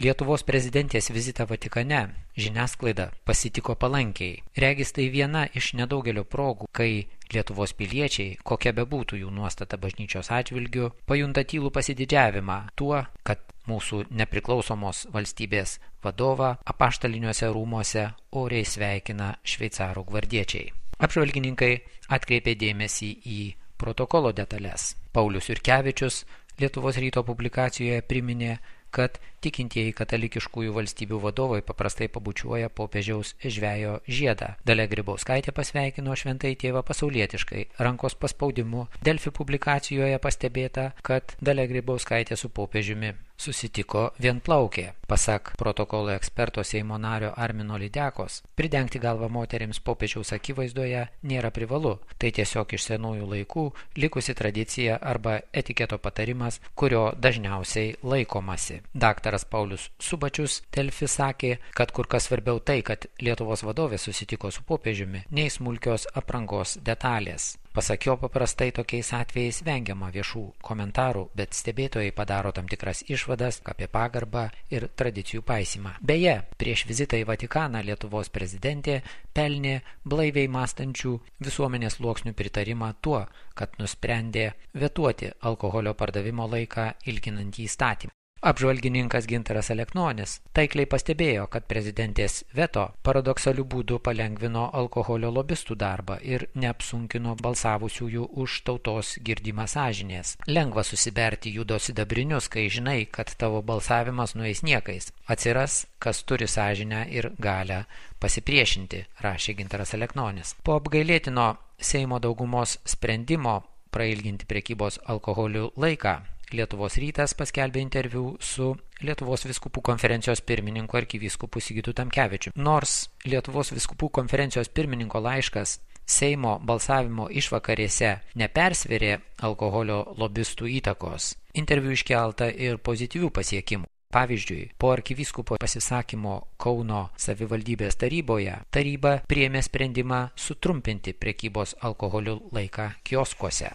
Lietuvos prezidentės vizitą Vatikane žiniasklaida pasitiko palankiai. Regis tai viena iš nedaugelio progų, kai Lietuvos piliečiai, kokia bebūtų jų nuostata bažnyčios atžvilgiu, pajunta tylų pasididžiavimą tuo, kad mūsų nepriklausomos valstybės vadovą apaštaliniuose rūmuose oriai sveikina šveicarų gvardiečiai. Apžvalgininkai atkreipė dėmesį į protokolo detalės. Paulius Jurkevičius Lietuvos ryto publikacijoje priminė, kad tikintieji katalikiškųjų valstybių vadovai paprastai pabučiuoja popiežiaus žvejo žiedą. Dalia Grybauskaitė pasveikino šventąjį tėvą pasaulietiškai, rankos paspaudimu. Delfi publikacijoje pastebėta, kad Dalia Grybauskaitė su popiežiumi susitiko vienplaukė. Pasak protokolo eksperto Seimo nario Armino Lydekos, pridengti galvą moterims popiežiaus akivaizdoje nėra privalu. Tai tiesiog iš senųjų laikų likusi tradicija arba etiketo patarimas, kurio dažniausiai laikomasi. Daktaras Paulius Subačius Delfi sakė, kad kur kas svarbiau tai, kad Lietuvos vadovė susitiko su popiežiumi, nei smulkios aprangos detalės. Pasak jo, paprastai tokiais atvejais vengiama viešų komentarų, bet stebėtojai padaro tam tikras išvadas apie pagarbą ir tradicijų paisymą. Beje, prieš vizitą į Vatikaną Lietuvos prezidentė pelnė blaiviai mąstančių visuomenės sluoksnių pritarimą tuo, kad nusprendė vetuoti alkoholio pardavimo laiką ilginantį įstatymą. Apžvalgininkas Gintaras Aleknonis taikliai pastebėjo, kad prezidentės veto paradoksaliu būdu palengvino alkoholio lobistų darbą ir neapsunkino balsavusiųjų už tautos girdimą sąžinės. Lengva susiberti judo sidabrinius, kai žinai, kad tavo balsavimas nueis niekais. Atsiras, kas turi sąžinę ir galią pasipriešinti, rašė Gintaras Aleknonis. Po apgailėtino Seimo daugumos sprendimo prailginti prekybos alkoholiu laiką, Lietuvos rytas paskelbė interviu su Lietuvos vyskupų konferencijos pirmininku arkivyskupu Sigitu Tamkevičiu. Nors Lietuvos vyskupų konferencijos pirmininko laiškas Seimo balsavimo išvakarėse nepersvėrė alkoholio lobistų įtakos, interviu iškelta ir pozityvių pasiekimų. Pavyzdžiui, po arkivyskupo pasisakymo Kauno savivaldybės taryboje, taryba priėmė sprendimą sutrumpinti prekybos alkoholiu laiką kioskuose.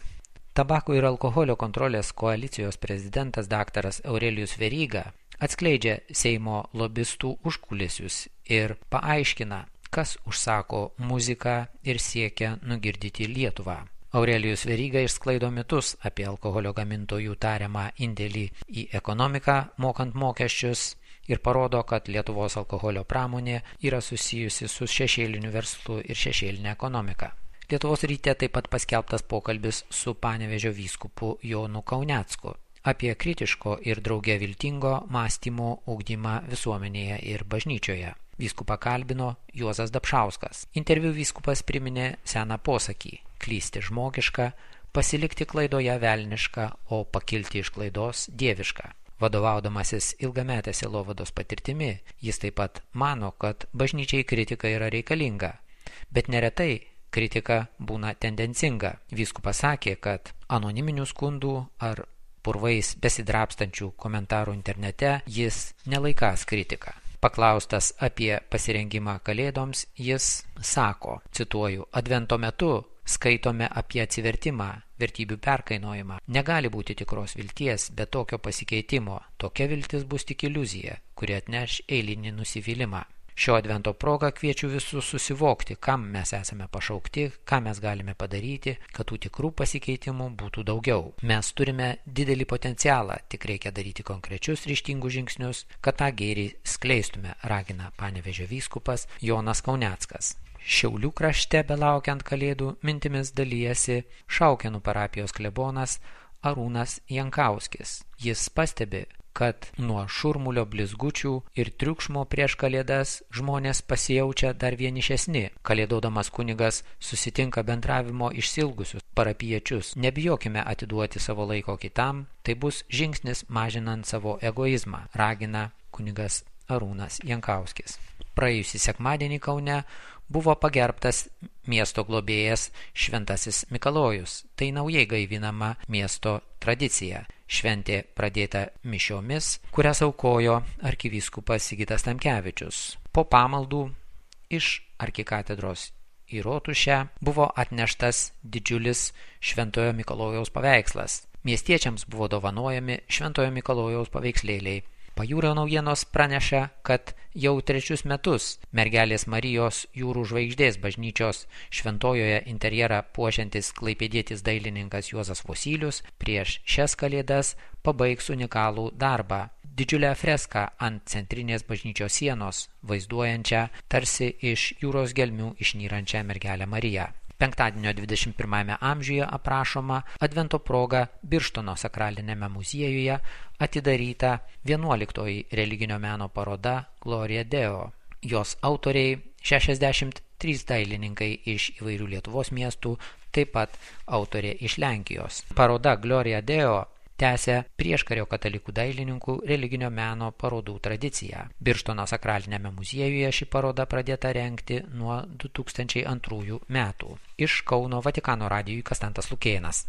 Tabako ir alkoholio kontrolės koalicijos prezidentas daktaras Aurelijus Veryga atskleidžia Seimo lobistų užkulisius ir paaiškina, kas užsako muziką ir siekia nugirdyti Lietuvą. Aurelijus Veryga išsklaido mitus apie alkoholio gamintojų tariamą indėlį į ekonomiką, mokant mokesčius, ir parodo, kad Lietuvos alkoholio pramonė yra susijusi su šešėliniu verslu ir šešėlinė ekonomika. Lietuvos ryte taip pat paskelbtas pokalbis su Panevėžio vyskupu Jonu Kaunecku apie kritiško ir drauge viltingo mąstymo ugdymą visuomenėje ir bažnyčioje. Vyskupą kalbino Juozas Dapšauskas. Interviu vyskupas priminė seną posakį: klysti žmogiška, pasilikti klaidoje velniška, o pakilti iš klaidos dieviška. Vadovaudamasis ilgametę sielovados patirtimi, jis taip pat mano, kad bažnyčiai kritika yra reikalinga, bet neretai kritika būna tendencinga. Vyskupas sakė, kad anoniminių skundų ar purvais besidrapstančių komentarų internete jis nelaikąs kritiką. Paklaustas apie pasirengimą kalėdoms, jis sako, cituoju, advento metu skaitome apie atsivertimą, vertybių perkainojimą. Negali būti tikros vilties be tokio pasikeitimo. Tokia viltis bus tik iliuzija, kuri atneš eilinį nusivylimą. Šio advento proga kviečiu visus susivokti, kam mes esame pašaukti, ką mes galime padaryti, kad tų tikrų pasikeitimų būtų daugiau. Mes turime didelį potencialą, tik reikia daryti konkrečius ryžtingus žingsnius, kad tą gėrį skleistume, ragina Panevėžio vyskupas Jonas Kauneckas. Šiaulių krašte belaukiant kalėdų mintimis dalyjasi Šaukėnų parapijos klebonas Arūnas Jankauskis. Jis pastebi, kad nuo šurmulio blizgučių ir triukšmo prieš kalėdas žmonės pasijaučia dar vienišesni. Kalėdodamas kunigas susitinka bendravimo išsilgusius parapiečius. Nebijokime atiduoti savo laiko kitam, tai bus žingsnis mažinant savo egoizmą, ragina kunigas Arūnas Jankauskis. Praėjusį sekmadienį Kaune buvo pagerbtas miesto globėjas Šventasis Mikalojus. Tai naujai gaivinama miesto tradicija. Šventė pradėta mišiomis, kurias aukojo arkivyskupas Sigitas Tamkevičius. Po pamaldų iš arkikatedros į Rotušę buvo atneštas didžiulis Šventojo Mikalojaus paveikslas. Miestiečiams buvo dovanojami Šventojo Mikalojaus paveikslėliai. Pajūrio naujienos praneša, kad jau 3 metus mergelės Marijos Jūrų žvaigždės bažnyčios šventojoje interjerą puošiantis klaipėdietis dailininkas Juozas Vosylius prieš šias kalėdas pabaigs unikalų darbą. Didžiulę freską ant centrinės bažnyčios sienos, vaizduojančią tarsi iš jūros gelmių išnyrančią mergelę Mariją. Penktadienio 21 amžiuje aprašoma Advento proga Birštono sakralinėme muziejuje atidaryta 11 religinio meno paroda Gloria Deo. Jos autoriai 63 dailininkai iš įvairių Lietuvos miestų, taip pat autorė iš Lenkijos. Paroda Gloria Deo tęsia prieškario katalikų dailininkų religinio meno parodų tradiciją. Birštono sakralinėme muziejuje ši paroda pradėta rengti nuo 2002 metų. Iš Kauno Vatikano radijui Kastantas Lukėnas.